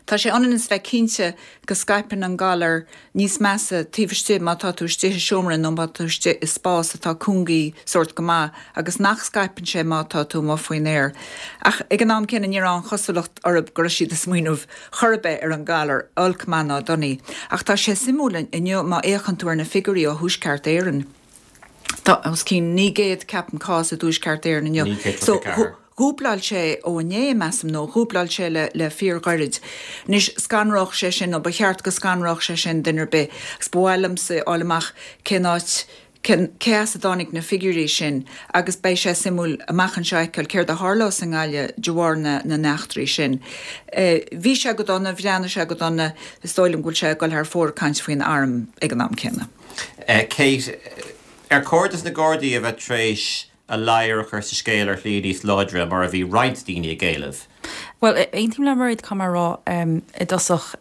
Tá sé ionann is bheith cinnte go scaipeann an galar níos measa taobh istigh má tá tú istigh i seomra nó má tá tú istigh i spás atá cúngaí sórt go maith agus nach scaipeann sé má tá tú amuigh faoin aer. Ach ag an am céanna ní raibh an chosúlacht orthu go raibh siad ag smaoineamh chor ar bith ar an galar, olc maith ná donaí. Ach tá sé suimiúil inniu má fhéachann tú ar na figiúirí ó Thuaisceart Éireann. Tá os cionn naoi gcéad, ceapaim, cás i dTuaisceart Éireann inniu. So dhúbláil sé ó inné, measaim, nó dhúbláil sé le le fíorghairid. Anois, scanródh sé sin, nó ba cheart go scanródh sé sin duine ar bith, agus ba mhaith liomsa fháil amach cén áit, cén, cé as a dtáinig na figiúirí sin, agus beidh sé suimiúil amach anseo a fheiceáil céard a tharlós i nGaillimh de bharr na na n-eachtraí sin. Bhí sé go dona, bhreathnaigh sé go dona, is dóigh liom go bhfuil sé ag dul thar fóir ag caint faoin arm ag an am céanna. Kate, ar chóir dos na Gardaí a bheith tar éis a ladhar a chur sa scéal ar shlí níos láidre mar a bhí roinnt daoine ag éileamh? Bhuel, aontaím le Mairéad, caithfidh mé a rá i dtosach.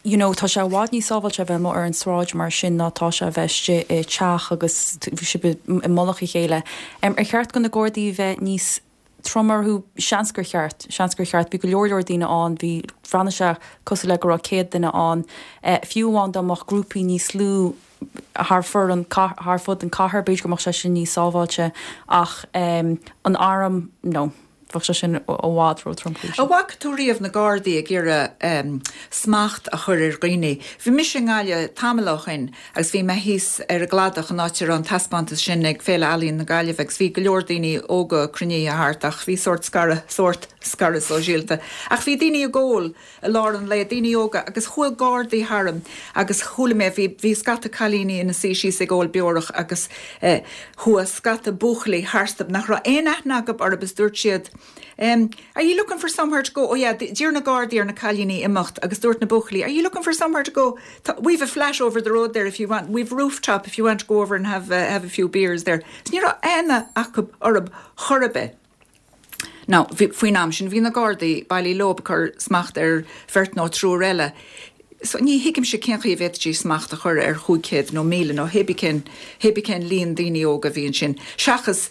You know, tá sé i bhfad níos sábháilte a bheith amuigh ar an tsráid mar sin ná tá sé a bheith istigh i teach agus sibh i mullach a chéile. Ar cheart do na Gardaí a bheith níos trom orthu? Seans gur cheart. Seans gur cheart. Bhí go leor leor daoine ann, bhí, bhreathnaigh sé cosúil le go raibh céad duine ann. Fiú amháin dá mbeadh grúpaí níos lú thar fur an, thar fud an cathair, b'fhéidir go mbeadh sé sin níos sábháilte ach an arm, no, bheadh sé sin i bhfad ró-tromchúiseach. An bhfaca tú riamh na Gardaí ag iarraidh smacht a chur ar dhaoine? Bhí mise i nGaillimh tamall ó shin agus bhí mé thíos ar an gcladach an áit a raibh an taispeántas sin ag Féile Ealaíon na Gaillimhe agus bhí go leor daoine óga cruinnithe thart ach bhí sórt scaradh, sórt scaradh sóisialta. Ach bhí daoine ag ól i lár an lae, daoine óga, agus chuaigh Gardaí tharam agus chuala mé, bhí, bhí scata cailíní ina suí síos ag ól beorach agus eh, chuaigh scata buachaillí tharstu nach raibh aon aithne acu orthu is dúirt siad, em, are you looking for somewhere to go? Oh yeah, d'iarr na Gardaí ar na cailíní imeacht agus dúirt na buachaillí, are you looking for somewhere to go? We've a flat over the road there if you want, we've rooftop if you want to go over and have, uh, have a few beers there. So ní raibh aithne acu orthu chor ar bith. Now, faoin am sin bhí na Gardaí bailí leo ag cur smacht ar bheirt nó triúr eile. So ní thuigimse cén chaoi a bhféadfaí smacht a chur ar chúig chéad nó míle nó hébí cén hébí cén líon daoine óga a bhí ansin. Seachas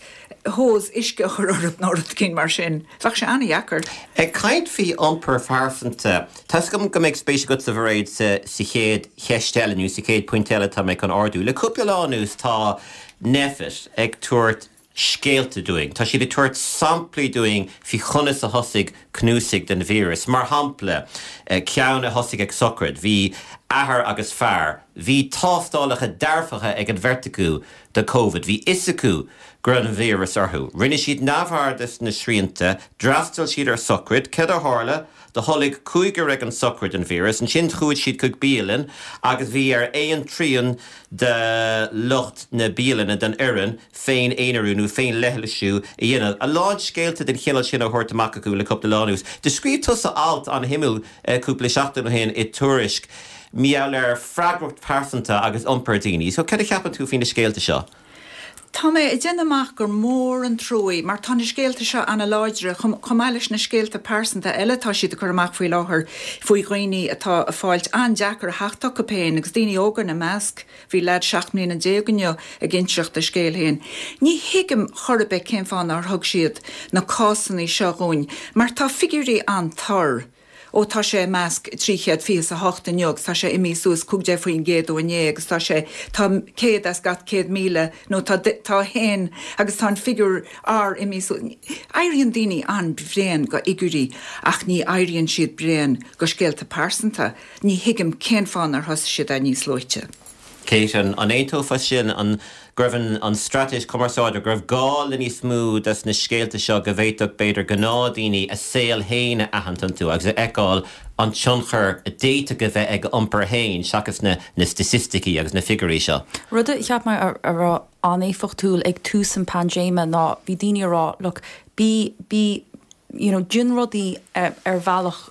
hose uisce a chur orthu nó rud éigin mar sin. Bheadh sé an-dheacair. Ag caint faoi iompar phearsanta, tá 's agam go mbeidh spéis agat a Mhairéad sa sa chéad cheist eile nó sa chéad pointe eile atá mé chun ardú. Le cúpla lá anuas tá Nphet ag tabhairt scéalta dúinn. Tá siad ag tabhairt samplaí dúinn faoi chonas a thosaigh cnuasaigh den víreas. Mar shampla, eh, ceann a thosaigh ag sochraid, bhí athair agus fear, bhí tástálacha dearfacha ag an bheirt acu do Covid, bhí fhios acu go raibh an víreas orthu. Rinne siad neamhaird de na srianta, d'fhreastail siad ar sochraid, céard a tharla, do tholg cúigear ag an sochraid an víreas, ansin chuaigh siad chuig bialann agus bhí ar aon trian de lucht na bialainne den fhoireann féin-aonarú nó féin-leithlisiú a dhéanamh. A lán scéalta den chineál sin á thabhairt amach acu le cúpla lá anuas. Do scríobh tusa alt an-shuimiúil cúpla seachtain ó shin i Tuairisc maidir le freagracht pearsanta agus iompar daoine. So cad a cheapann tú faoi na scéalta seo? Tá mé ag déanamh amach gur mór an truaí mar tá na scéalta seo an-láidre chomh maith leis na scéalta pearsanta eile atá siad ag cur amach faoi láthair faoi dhaoine atá ag fáilt an-deacair a theacht chucu féin agus daoine óga ina measc. Bhí leaid seacht mbliana déag inniu ag inseacht a scéil féin. Ní thuigim chor ar bith cén fáth nár thug siad na cásanna seo dhúinn mar tá figiúirí an-tur. Ó tá sé i measc trí chéad fiche is a hocht inniu agus tá sé imithe suas cúig déag faoin gcéad ó inné agus tá sé, tá céad as gach céad míle nó tá tá a haon agus tá an figiúr R imithe suas. Éiríonn daoine an-bhréan go fhigiúirí ach ní éiríonn siad bréan go scéalta pearsanta. Ní thuigim cén fáth nár thosaigh siad é níos luaite. Kate, an aontófá sin an go raibh an, an straitéis cumarsáide, go raibh gá le níos mó des na scéalta seo go bhféadfadh b'fhéidir gnáthdhaoine a saol féin a aithint iontu agus a fheiceáil an tionchar a d'fhéadfadh a bheith ag a iompar féin seachas na, na staitisticí agus na figiúirí seo. Rud a cheap mé a, a raibh an-éifeachtúil ag tús an paindéime ná bhí daoine ag rá, look, bí, bí, you know, déan rudaí ar, ar bhealach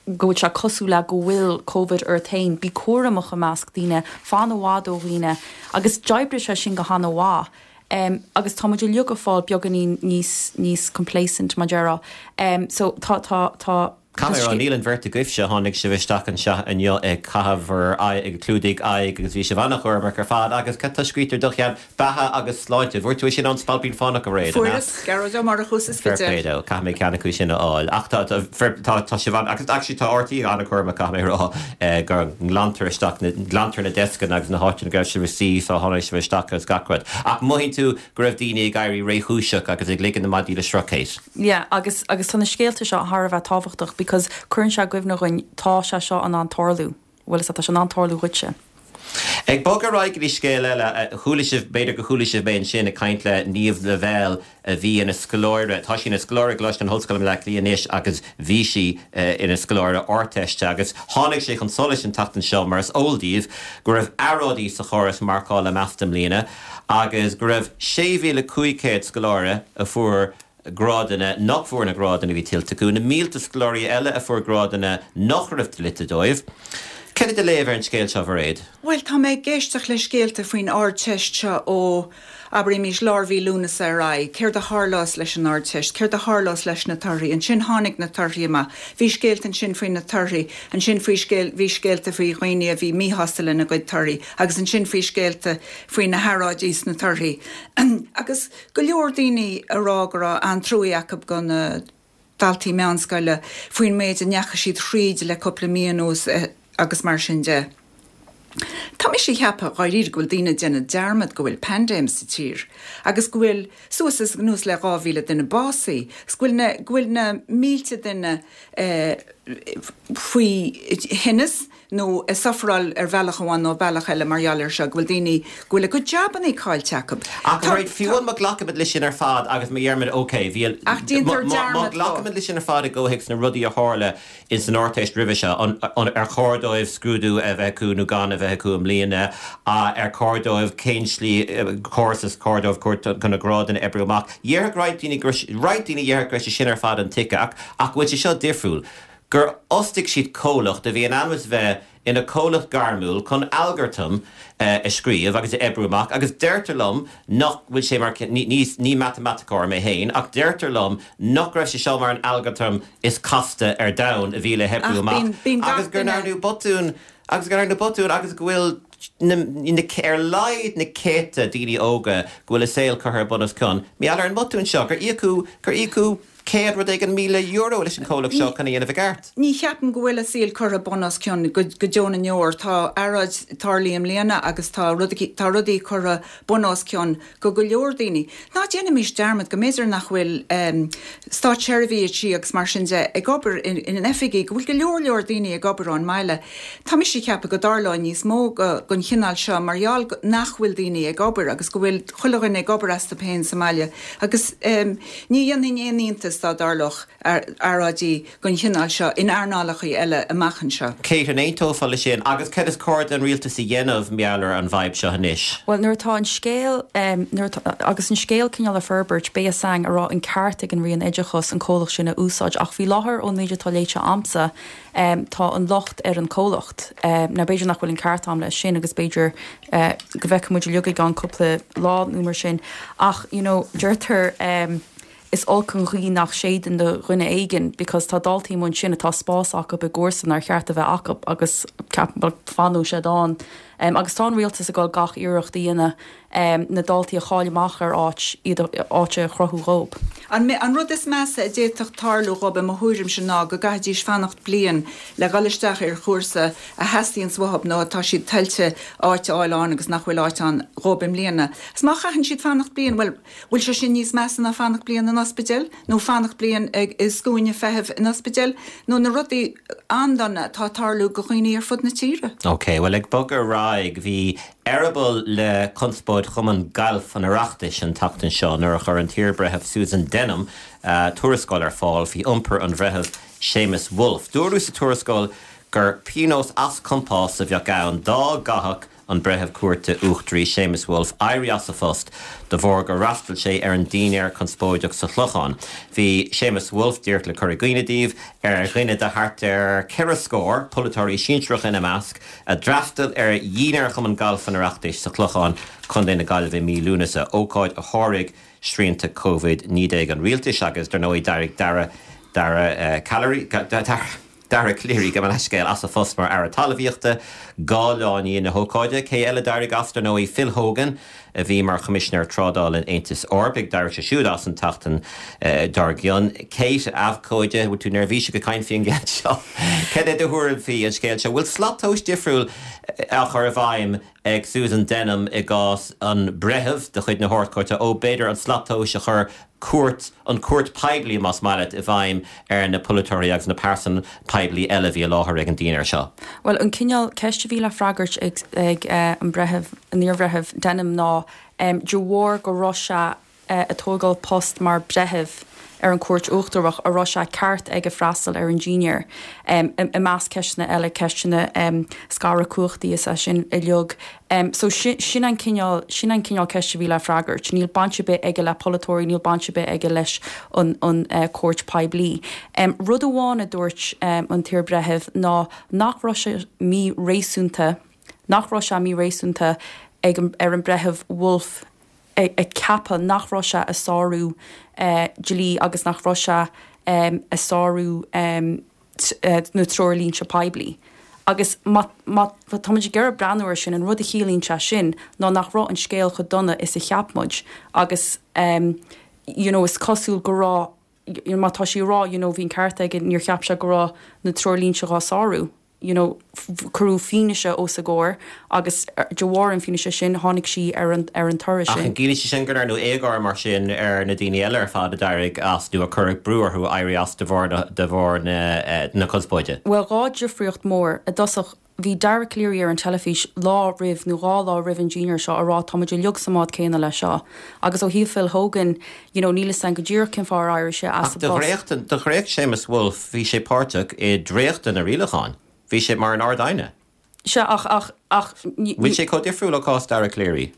go bhfuil sé cosúil le go bhfuil Covid ort féin, bí cúramach i measc daoine, fan i bhfad ó dhaoine, agus d'oibrigh sé sin go han-mhaith. Um, agus tá muid uilig ag fáil beagáinín níos níos complacent mar déarfá. Um, so tá tá tá Caithfidh mé a rá, níl an bheirt agaibhse, tháinig sibh isteach anseo inniu ag caitheamh bhur aghaidh, ag clúdaigh aghaidh agus bhí sibh an-chúramach ar fad agus cad tá scríte ar do cheann? Beatha agus sláinte. Bhfuair tú é sin ón Spailpín Fánach a Mhairéad, an ea? Fuaireas, Gearóid Ó Murchú sa Fair Spidéal. play dó, caithfidh mé ceann acu sin a fháil. Ach tá, tá, fair, tá, tá sibh an, agus actually tá RTÉ an-chúramach caithfidh mé a rá, eh, go nglantar isteach na, nglantar na deascanna agus na háiteanna go raibh sibh ag suí sula tháinig sibh isteach agus gach rud. Ach mothaíonn tú go raibh daoine ag éirí réchúiseach agus ag ligean na maidí le sruth, Kate? Yeah, agus, agus tá na scéalta seo thar a bheith tábhachtach because cuireann sé i gcuimhne dhúinn tá sé seo in ann tarlú. Bhuel is tá sé in ann tarlú dhuitse. Ag bogadh ar aghaidh go dtí scéal eile, chuala sibh, b'fhéidir go chuala sibh mé ansin ag caint le Niamh Lavelle a bhí ina scoláire, tá sí ina scoláire i gColáiste na hOllscoile i mBleá Cliath anois agus bhí sí ina scoláire Ardteiste agus tháinig sé chun solais an tseachtain seo mar is eol daoibh go raibh earráidí sa chóras marcála measta i mbliana agus go raibh sé mhíle cúig chéad scoláire a fuair grádanna nach bhfuair na grádanna a bhí tuillte acu, na mílte scoláirí eile a fuair grádanna nach raibh dlite dóibh. Cad é do léamh ar an scéal seo, a Mhairéad? Bhuel, tá mé ag éisteacht le scéalta faoin Ardteist seo ó, abraimis, lár mhí Lúnasa ar aghaidh. Céard a tharlós leis an Ardteist? Céard a tharlós leis na torthaí? Ansin tháinig na torthaí amach. Bhí scéalta ansin faoi na torthaí. Ansin faoi scéal, bhí scéalta faoi dhaoine a bhí míshásta lena gcuid torthaí. Agus ansin faoi scéalta faoi na hearráidí sna torthaí. Agus go leor daoine a rá go raibh an-truaí acu go na daltaí meánscoile faoin méid a ndeachaigh siad thríd le cúpla mí anuas agus mar sin de. Tá mise ag ceapadh dháiríre go bhfuil daoine ag déanamh dearmad go bhfuil paindéim sa tír agus go bhfuil suas is anuas le dhá mhíle duine básaithe agus go bhfuil na, go bhfuil na mílte duine eh, faoi thinneas nó ag sufferáil ar bhealach amháin nó bealach eile mar gheall air seo, go bhfuil daoine go bhfuil a gcuid jabannaí caillte acu. Ach right, fiú má ghlacaimid leis sin ar fad agus má dheirimid ok, bhí Ach déantar má dearmad dó. ghlacaimid leis sin ar fad i gcomhthéacs na rudaí a tharla ins an Ardteist roimhe seo, an, an, ar chóir dóibh scrúdú a bheith acu nó gan a bheith acu i mbliana, ar chóir dóibh cén slí córas is cóir dóibh chun na grádanna a oibriú amach. Dhéarfadh roinnt daoine go raibh roinnt daoine dhéarfadh go raibh sé sin ar fad intuigthe ach ach go bhfuil sé seo difriúil. gur fhostaigh siad comhlacht a bhí in ainm is bheith ina comhlacht gairmiúil chun algartam a scríobh agus a oibriú amach agus deirtear liom nach bhfuil sé mar ní ní matamaiticeoir mé féin ach deirtear liom nach raibh sé seo mar an algartam is casta ar domhan a bhí le hoibriú amach agus gur ndearnadh botún agus gur ndearnadh botún agus go bhfuil na na ar laghad na céadta daoine óga go bhfuil a saol curtha bun os cionn mar gheall ar an mbotún seo gur íocadh gur íocadh céad rud éigin míle euro leis an comhlacht seo chun a dhéanamh i gceart. Ní cheapaim go bhfuil a saol curtha bun os cionn go go deo na ndeor. Tá earráid tarlaithe i mbliana agus tá rudaí tá rudaí curtha bun os cionn go go leor daoine. Ná déanaimis dearmad go mb'fhéidir nach bhfuil um, státseirbhísigh agus mar sin de ag obair in, in an oifigí, go bhfuil go leor leor daoine ag obair ón mbaile. Tá mise ag ceapadh go dtarlóidh níos mó go, gon chineál seo mar gheall nach bhfuil daoine ag obair agus go bhfuil chuile dhuine ag obair astu féin sa mbaile. Agus um, ní dhéanfainn aon iontas dá dtarlódh earráidí gon chineál seo in earnálacha eile amach anseo. Kate an aontófá leis sin agus cad is cóir don rialtas a dhéanamh mar gheall ar an bhfadhb seo anois. Well nuair atá an scéal um, nuair atá, agus an scéal cineál ag forbairt beidh a fhios againn an raibh an ceart ag an Roinn Oideachais an comhlacht sin a úsáid ach faoi láthair ón méid atá léite agamsa um, tá an locht ar an comhlacht. Um, na b'fhéidir nach bhfuil an ceart agam leis sin agus b'fhéidir uh, go bhfeicfidh muid uilig i gceann cúpla lá nó mar sin ach you know, deirtear um, is olc an ghaoth nach séideann do dhuine éigin because tá daltaí ann sin atá spás acu i gcúrsa nár cheart a bheith acu agus fanfaidh siad ann. Um, agus tá an rialtas ag dul gach iarracht a dhéanamh um, na daltaí a chaill amach ar áit iad áit a chruthú dóibh. An, an rud is measa a d'fhéadfadh tarlú dóibh i mo thuairim sin ná go gcaithfidís fanacht bliain le dhul isteach ar chúrsa a theastaíonn uathu nó atá siad tuillte áit a fháil ann agus nach bhfuil áit ann dóibh i mbliana. Is má chaitheann siad fanacht bliain, well, bhfuil sé sin níos measa ná fanacht bliain in ospidéal, nó fanacht bliain ag i scuaine feithimh in ospidéal, nó na rudaí an-dona atá ag tarlú go dhaoine ar fud na tíre. Ok, well ag bogadh ar aghaidh bhí eireaball le conspóid Chumann Gailf an Oireachtais an tseachtain seo nuair a chuir an t-iarbhreitheamh Susan Denham uh, tuarascáil ar fáil faoi iompar an bhreithimh Seamus Woulfe. Dúradh sa tuarascáil gur pionós as compás a bheadh ann dá gcaithfeadh an breitheamh cúirte uachtaraí Seamus Woulfe éirí as a phost de bharr gur fhreastail sé ar an dinnéar conspóideach sa Chlochán. Bhí Seamus Woulfe díreach le cur i gcuimhne daoibh ar dhuine de thart ar ceithre scór polaiteoirí sinsearacha ina measc a d'fhreastail ar dhinnéar Chumann Gailf an Oireachtais sa Chlochán Contae na Gaillimhe mí Lúnasa ócáid a sháraigh srianta COVID naoi déag an rialtais agus dar ndóigh d'éirigh Dara Dara uh, Calleary Dara Calleary go leiscéil as a phost mar aire talmhaíochta dhá lá i ndiaidh na hócáide, cé eile d'éirigh as dar ndóigh Phil Hogan a bhí mar Choimisinéir Trádála an Aontais Eorpaigh d'éirigh sé siúd as an tseachtain uh, dár gcionn. Kate abhcóide bhfuil tú neirbhíseach ag caint faoin gceann seo. Cad é do thuairim faoi an scéal seo, bhfuil slat tomhais difriúil á chur i bhfeidhm ag Susan Denham i gcás an bhreithimh de chuid na hArd-Chúirte ó b'fhéidir an slat tomhais a chur cúirt an cúirt poiblí más maith leat i bhfeidhm ar na polaiteoirí agus na pearsan poiblí eile bhí i láthair ag an dinnéar seo. Well an cineál ceist a bhí le freagairt ag, ag uh, an breitheamh an iarbhreitheamh Denham ná um, de bharr go raibh sé uh, ag tógáil post mar breitheamh ar an Chúirt Uachtarach a raibh sé ceart aige freastal ar an dinnéar. Um, i measc ceisteanna eile ceisteanna um, scaradh cumhachtaí is é sin uilig. Um, so sin, sin an cineál sin an cineál ceist a bhí le freagairt. Níl baint ar bith aige le polaiteoirí, níl baint ar bith aige leis an, an uh, cúirt poiblí. Um, rud amháin a dúirt um, an t-iarbhreitheamh ná nach raibh sé míréasúnta, nach raibh sé míréasúnta ag an, ar an breitheamh Woulfe ag, ag ceapadh nach raibh sé ag sárú uh, dlí agus nach raibh sé um, ag sárú um, uh, na treoirlínte poiblí. Agus má táimid ag breathnú air sin an rud a chiallaíonn sé sin ná nach raibh an scéal chomh dona is a cheap muid agus um, you know, is cosúil go raibh you know, má tá sí rá you know, bhí an ceart aige níor cheap sé go raibh na treoirlínte á sárú. you know, cuireadh fianaise os a gcomhair agus de bharr an fianaise sin tháinig sí ar an ar an toradh sin. Ach an gciallaíonn sé sin go ndearnadh éagóir mar sin ar na daoine eile ar fad a d'éirigh as nó a cuireadh brú orthu éirí as de bharr de bharr na na conspóide? Bhuel dhá difríocht mór i dtosach bhí Dara Calleary ar an teilifís lá roimh nó dhá lá roimh an dinnéar seo a rá tá muid uilig sa mbád céanna leis seo. Agus ó thaobh Phil Hogan, you know, níl 'fhios a'm go díreach cén fáth ar éirigh sé as Ach de dhréacht de dhréacht Séamus Woulfe bhí sé páirteach i dréachtadh na rialachán. Bhí sé mar an Ard-Aighne. Sea, ach, ach, ach, ní. Bhfuil sé chomh difriúil ó chás Dara Calleary?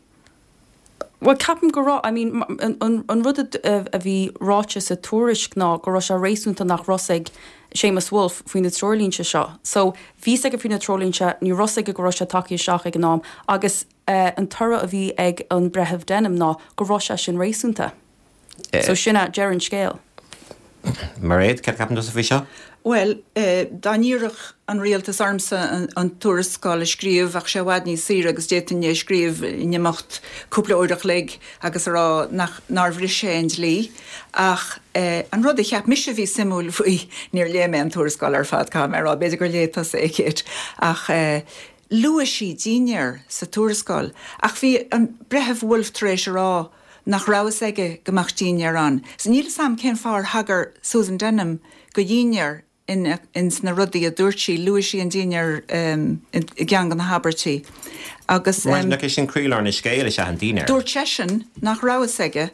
Bhuel, ceapaim go raibh. I mean, an, an rud a, a bhí ráite sa tuairisc ná go raibh sé réasúnta nach raibh 'fhios ag Séamus Woulfe faoi na treoirlínte seo. So, bhí 'fhios aige faoi na treoirlínte, ní raibh 'fhios aige go raibh sé tagtha isteach ag an am agus eh, an toradh a bhí ag an Breitheamh Denham ná go raibh sé sin réasúnta. So sin é deireadh an scéil. Mairéad, céard a cheapann tusa faoi seo? Bhuel, dá n-iarrfadh an rialtas ormsa an tuarascáil a scríobh, bheadh sé i bhfad níos saoire agus d'fhéadfainn é a scríobh in imeacht cúpla uair a chloig agus a rá nach, nár bhris sé an dlí. Ach an rud a cheap mise a bhí suimiúil faoi, níor léigh mé an tuarascáil ar fad, caithfidh mé a rá, b'fhéidir gur léigh tusa é, Kate, ach luaigh sí dinnéar sa tuarascáil. Ach bhí an Breitheamh Woulfe tar éis a rá nach raibh fhios aige go mbeadh dinnéar ann. So níl fhios a'm cén fáth ar thagair Susan Denham go dhinnéar in ins na rudaí a dúirt sí. Luaigh sí an dinnéar i gceann de na habairtí agus. Mar nach é sin croílár na scéil is ea an dinnéar. Dúirt seisean nach raibh fhios aige,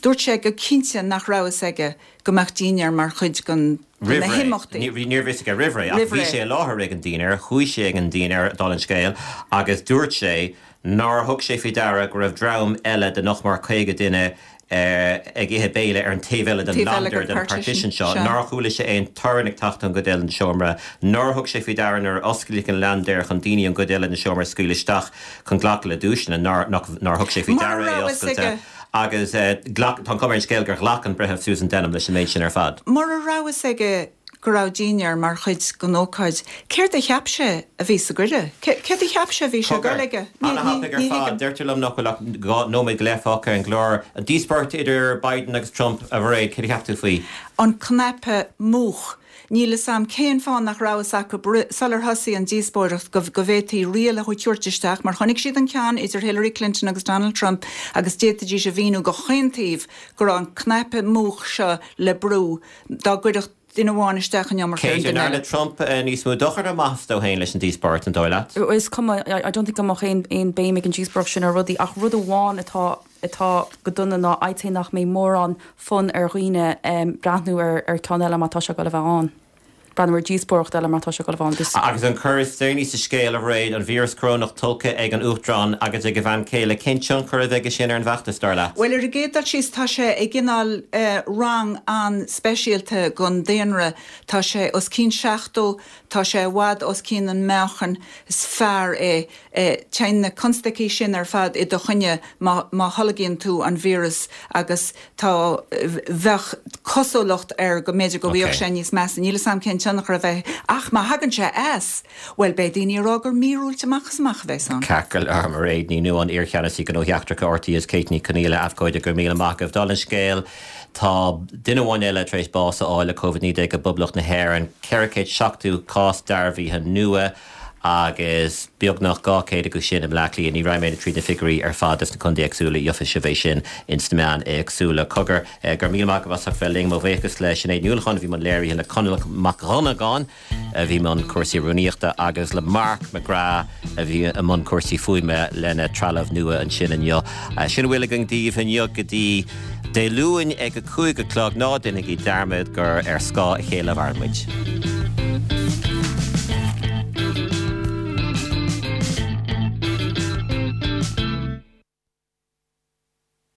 dúirt sé go cinnte nach raibh fhios aige go mbeadh dinnéar mar chuid den de na himeachtaí. Roimh ré. Ní raibh fhios aige roimh ré ach bhí sé i láthair ag an dinnéar, chuaigh sé ag an dinnéar, dála an scéil, agus dúirt sé nár thug sé faoi deara go raibh dream eile de nach mór caoga duine ag ithe béile ar an taobh eile den landair den partition seo, nár chuala sé aon torann ag teacht ón gcuid eile den seomra, nár thug sé faoi deara nuair a osclaíodh an landair chun daoine ón gcuid eile den seomra a scaoileadh isteach chun glacadh le duaiseanna, nár thug sé faoi deara é oscailte agus tá an chuma ar an scéal gur ghlac an Breitheamh Susan Denham leis an méid sin ar fad. Mura raibh fhios aige go raibh dinnéar mar chuid den ócáid, céard a cheap sé a bhí sa gcuireadh? Céard a cheap sé a bhí sé ag dul aige? Ana-thapaidh ar fad. Deirtear liom nach bhfuil ach dhá nóiméad go leith fágtha ar an gclár. An díospóireacht idir Biden agus Trump, a Mhairéad, céard a cheap tú faoi? An cnaipe múch. Níl fhios a'm cén fáth nach raibh fhios acu sular thosaigh an díospóireacht go go bhféadfaí riail a thabhairt isteach mar chonaic siad an ceann idir Hillary Clinton agus Donald Trump agus d'fhéadfaidís a mhíniú do chaon taobh go raibh an cnaipe múch seo le brú dá gcuirfeadh duine amháin isteach an iomarca ar an Kate, an duine ndearna eile. Trump níos mó dochair nó maitheas dó féin leis an díospóireacht, an dóigh leat? Is cuma, I don't think go mbeadh aon aon béim ag an díospóireacht sin ar rudaí ach rud amháin atá atá go dona ná I'd say nach mbeidh mórán fonn ar dhaoine breathnú ar ar ceann eile má tá sé ag dul a bheith ann. Breathnú ar díospóireacht eile mar tá sé ag dul a bheith ann. This. Agus an cor is deireanaí sa scéal, a Mhairéad, an víreas corónach tolgtha ag an Uachtarán agus ag a bhean chéile, cén tionchar a bheidh aige sin ar an bhfeachtas, dar leat? Bhuel, ar an gcéad dul síos, tá sé i gcineál rang an-speisialta den daonra. Tá sé os cionn seachtó, tá sé i bhfad os cionn an meáchain, is fear é. Téann na constaicí sin ar fad i do choinne má má tholgaíonn tú an víreas agus tá, bheadh cosúlacht air go mb'fhéidir go bhfaigheadh sé níos measa. Níl 'fhios a'm cén tionchar a bheidh ach má thagann sé as, bhuel beidh daoine ag rá gur míorúilt amach is amach a bheas ann. Ceart go leor, Mairéad Ní Nuadháin, iar-cheannasaí Gnóthaí Eachtracha RTÉ is Kate Ní Chonghaile, abhcóide, go raibh míle maith agaibh. Dála an scéil, tá duine amháin eile tar éis bás a fháil le Covid naoi déag i bPoblacht na hÉireann, ceithre chéad seachtó cás dearbhaithe nua agus beagnach dhá chéad acu sin i mBleá Cliath. Ní raghaidh mé tríd na figiúirí ar fad dos na contaetha éagsúla, gheobhaidh sibh é sin ins na meáin éagsúla. Cogar, go raibh míle maith agaibh as ucht bheith linn. Mo bhuíochas le Sinéad Ní Uallacháin a bhí i mbun léirithe, le Conall Mac Dhonnagáin a bhí i mbun cúrsaí rúnaíochta agus le Mark McGrath a bhí i mbun cúrsaí fuaime lena trealamh nua ansin inniu. Sin a bhfuil againn daoibh inniu go dtí Dé Luain ag a cúig a chlog. Ná déanaigí dearmad gur ar scáth a chéile a mhaireann muid.